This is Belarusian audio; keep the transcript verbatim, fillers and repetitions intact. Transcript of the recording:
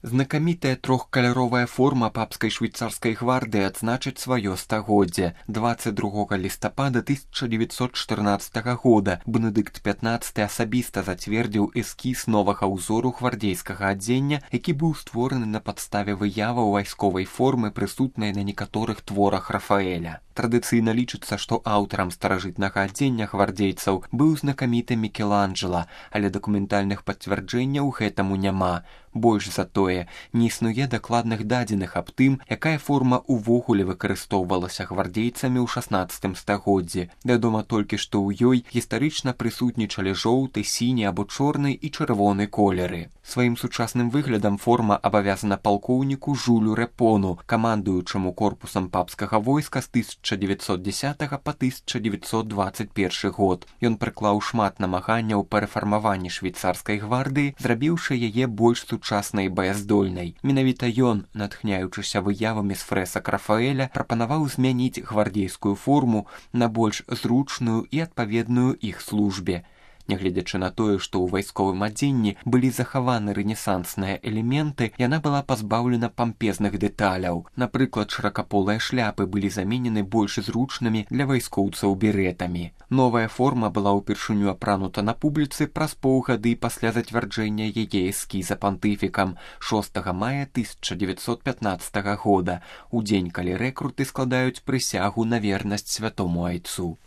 Знакамітая трохкаляровая форма папскай швейцарскай гвардыі адзначыць сваё стагоддзе. дваццаць другога лістапада тысяча дзевяцьсот чатырнаццатага года Бенедыкт пятнаццаты асабіста зацвердзіў эскіз новага ўзору гвардзейскага адзення, які быў створаны на падставе выяваў вайсковай формы, прысутнай на некаторых творах Рафаэля. Традыцыйна лічыцца, што аўтарам старажытнага адзення гвардзейцаў быў знакаміты Мікеланджела, але дакументальных пацвярджэнняў гэтаму няма. Больш за тое, не існуе дакладных дадзеных аб тым, якая форма ўвогуле выкарыстоўвалася гвардзейцамі ў шаснаццатым стагоддзі. Вядома толькі, што ў ёй гістарычна прысутнічалі жоўты, сіні або чорны і чырвоны колеры. Сваім сучасным выглядам форма абавязана палкоўніку Жулю Рэпону, камандуючаму корпусам папскага войска з тысяча дзевяцьсот дзесятага па тысяча дзевяцьсот дваццаць першы год. Ён прыклаў шмат намаганняў па рэфармаванні швейцарскай гвардыі, зрабіўшы яе больш сучаснай і баяздольнай. Менавіта ён, натхняючыся выявамі з фрэсак Рафаэля, прапанаваў змяніць гвардзейскую форму на больш зручную і адпаведную іх службе. Нягледзячы на тое, што ў вайсковым адзенні былі захаваны рэнесансныя элементы, яна была пазбаўлена пампезных дэталяў. Напрыклад, шыракаполыя шляпы былі заменены больш зручнымі для вайскоўцаў берэтамі. Новая форма была ўпершыню апранута на публіцы праз паўгады пасля зацвярджэння яе эскіза пантыфікам шостага мая тысяча дзевяцьсот пятнаццатага года, у дзень, калі рэкруты складаюць прысягу на вернасць святому айцу.